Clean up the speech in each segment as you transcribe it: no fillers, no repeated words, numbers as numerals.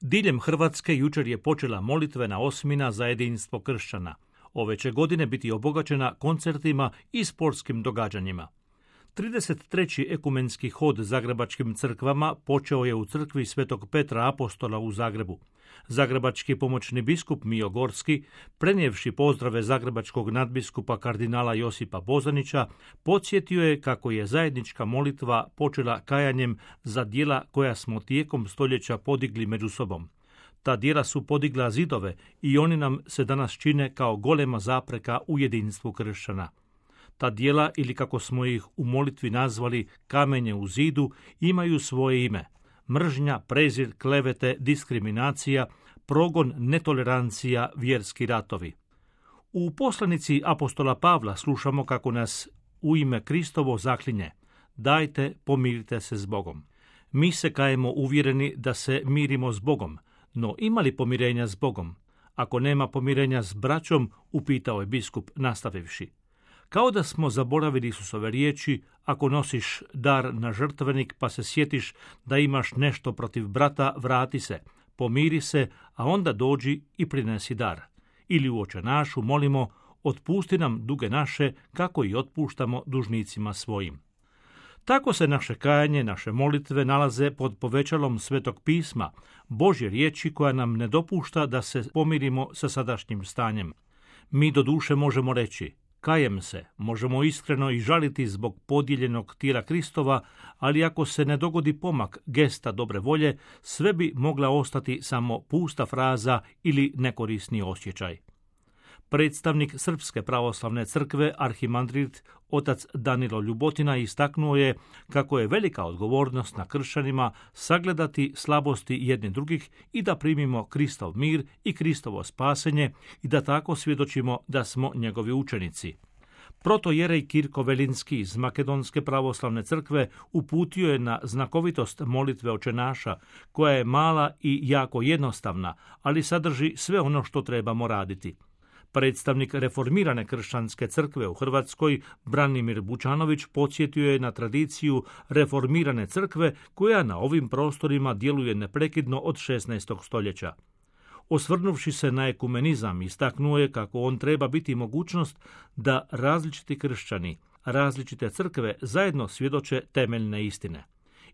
Diljem Hrvatske jučer je počela molitvena osmina za jedinstvo kršćana. Ove će godine biti obogaćena koncertima i sportskim događanjima. 33. ekumenski hod zagrebačkim crkvama počeo je u crkvi Svetog Petra Apostola u Zagrebu. Zagrebački pomoćni biskup Mijo Gorski, prenijevši pozdrave zagrebačkog nadbiskupa kardinala Josipa Bozanića, podsjetio je kako je zajednička molitva počela kajanjem za djela koja smo tijekom stoljeća podigli među sobom. Ta djela su podigla zidove i oni nam se danas čine kao golema zapreka u jedinstvu kršćana. Ta djela, ili kako smo ih u molitvi nazvali kamenje u zidu, imaju svoje ime: mržnja, prezir, klevete, diskriminacija, progon, netolerancija, vjerski ratovi. U poslanici apostola Pavla slušamo kako nas u ime Kristovo zaklinje: dajte, pomirite se s Bogom. Mi se kajemo uvjereni da se mirimo s Bogom, no ima li pomirenja s Bogom? Ako nema pomirenja s braćom, upitao je biskup nastavivši. Kao da smo zaboravili Isusove riječi: ako nosiš dar na žrtvenik pa se sjetiš da imaš nešto protiv brata, vrati se, pomiri se, a onda dođi i prinesi dar. Ili u Oče našu molimo: otpusti nam duge naše, kako i otpuštamo dužnicima svojim. Tako se naše kajanje, naše molitve nalaze pod povećalom Svetog pisma, Božje riječi koja nam ne dopušta da se pomirimo sa sadašnjim stanjem. Mi doduše možemo reći: kajem se, možemo iskreno i žaliti zbog podijeljenog tijela Kristova, ali ako se ne dogodi pomak gesta dobre volje, sve bi mogla ostati samo pusta fraza ili nekorisni osjećaj. Predstavnik Srpske pravoslavne crkve, arhimandrit otac Danilo Ljubotina, istaknuo je kako je velika odgovornost na kršćanima sagledati slabosti jedni drugih i da primimo Kristov mir i Kristovo spasenje i da tako svjedočimo da smo njegovi učenici. Protojerej Kirko Velinski iz Makedonske pravoslavne crkve uputio je na znakovitost molitve Oče naša, koja je mala i jako jednostavna, ali sadrži sve ono što trebamo raditi. Predstavnik reformirane kršćanske crkve u Hrvatskoj, Branimir Bučanović, podsjetio je na tradiciju reformirane crkve koja na ovim prostorima djeluje neprekidno od 16. stoljeća. Osvrnuvši se na ekumenizam, istaknuo je kako on treba biti mogućnost da različiti kršćani, različite crkve zajedno svjedoče temeljne istine.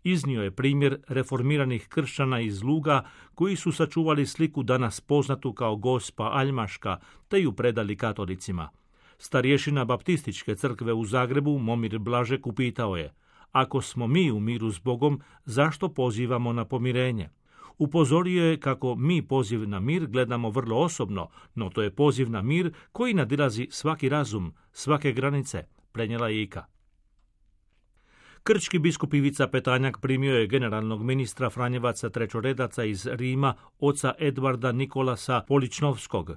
Iznio je primjer reformiranih kršćana iz Luga koji su sačuvali sliku danas poznatu kao Gospa Aljmaška te ju predali katolicima. Starješina Baptističke crkve u Zagrebu, Momir Blažek, upitao je: ako smo mi u miru s Bogom, zašto pozivamo na pomirenje? Upozorio je kako mi poziv na mir gledamo vrlo osobno, no to je poziv na mir koji nadilazi svaki razum, svake granice, prenijela je Ika. Krčki biskup Ivica Petanjak primio je generalnog ministra Franjevaca Trećoredaca iz Rima, oca Edvarda Nikolasa Poličnovskog.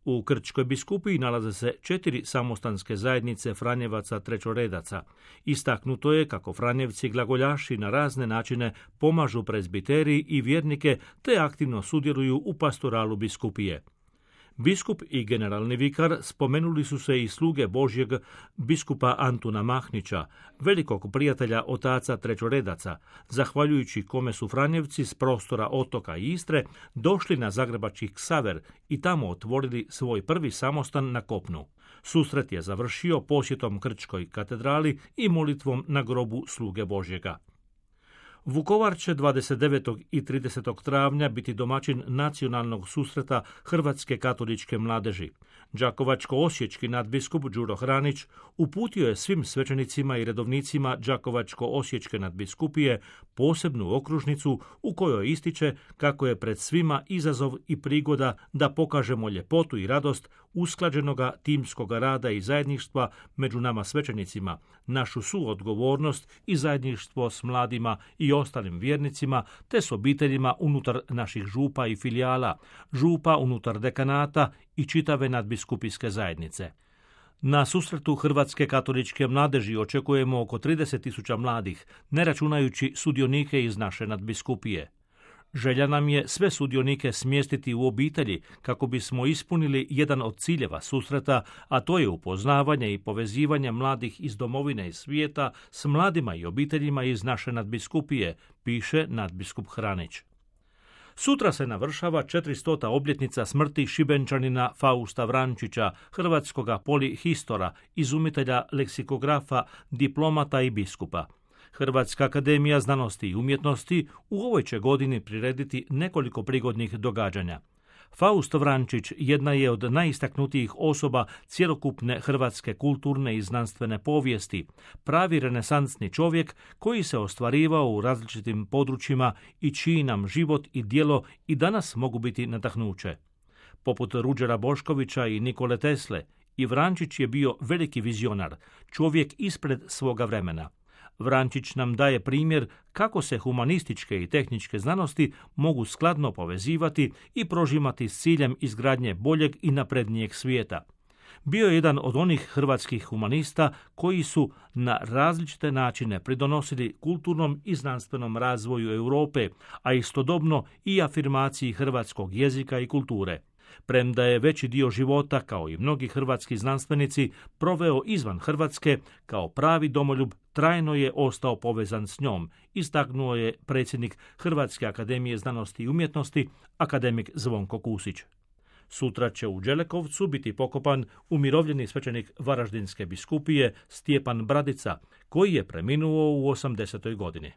U Krčkoj biskupiji nalaze se 4 samostanske zajednice Franjevaca Trećoredaca. Istaknuto je kako Franjevci glagoljaši na razne načine pomažu prezbiteriji i vjernike te aktivno sudjeluju u pastoralu biskupije. Biskup i generalni vikar spomenuli su se i sluge Božjeg biskupa Antuna Mahnića, velikog prijatelja otaca Trećoredaca, zahvaljujući kome su Franjevci s prostora Otoka i Istre došli na zagrebački Ksaver i tamo otvorili svoj prvi samostan na kopnu. Susret je završio posjetom Krčkoj katedrali i molitvom na grobu sluge Božjega. Vukovar će 29. i 30. travnja biti domaćin nacionalnog susreta Hrvatske katoličke mladeži. Đakovačko-osječki nadbiskup Đuro Hranić uputio je svim svećenicima i redovnicima Đakovačko-osječke nadbiskupije posebnu okružnicu u kojoj ističe kako je pred svima izazov i prigoda da pokažemo ljepotu i radost usklađenoga timskoga rada i zajedništva među nama svećenicima, našu suodgovornost i zajedništvo s mladima i ostalim vjernicima, te s obiteljima unutar naših župa i filijala, župa unutar dekanata i čitave nadbiskupijske zajednice. Na susretu Hrvatske katoličke mladeži očekujemo oko 30.000 mladih, ne računajući sudionike iz naše nadbiskupije. Želja nam je sve sudionike smjestiti u obitelji kako bismo ispunili jedan od ciljeva susreta, a to je upoznavanje i povezivanje mladih iz domovine i svijeta s mladima i obiteljima iz naše nadbiskupije, piše nadbiskup Hranić. Sutra se navršava 400. obljetnica smrti Šibenčanina Fausta Vrančića, hrvatskoga polihistora, izumitelja leksikografa, diplomata i biskupa. Hrvatska akademija znanosti i umjetnosti u ovoj će godini prirediti nekoliko prigodnih događanja. Faust Vrančić jedna je od najistaknutijih osoba cjelokupne hrvatske kulturne i znanstvene povijesti, pravi renesansni čovjek koji se ostvarivao u različitim područjima i čiji nam život i djelo i danas mogu biti nadahnuće. Poput Ruđera Boškovića i Nikole Tesle, i Vrančić je bio veliki vizionar, čovjek ispred svoga vremena. Vrančić nam daje primjer kako se humanističke i tehničke znanosti mogu skladno povezivati i prožimati s ciljem izgradnje boljeg i naprednijeg svijeta. Bio je jedan od onih hrvatskih humanista koji su na različite načine pridonosili kulturnom i znanstvenom razvoju Europe, a istodobno i afirmaciji hrvatskog jezika i kulture. Premda je veći dio života, kao i mnogi hrvatski znanstvenici, proveo izvan Hrvatske, kao pravi domoljub trajno je ostao povezan s njom, istaknuo je predsjednik Hrvatske akademije znanosti i umjetnosti, akademik Zvonko Kusić. Sutra će u Đelekovcu biti pokopan umirovljeni svećenik Varaždinske biskupije Stjepan Bradica, koji je preminuo u 80. godini.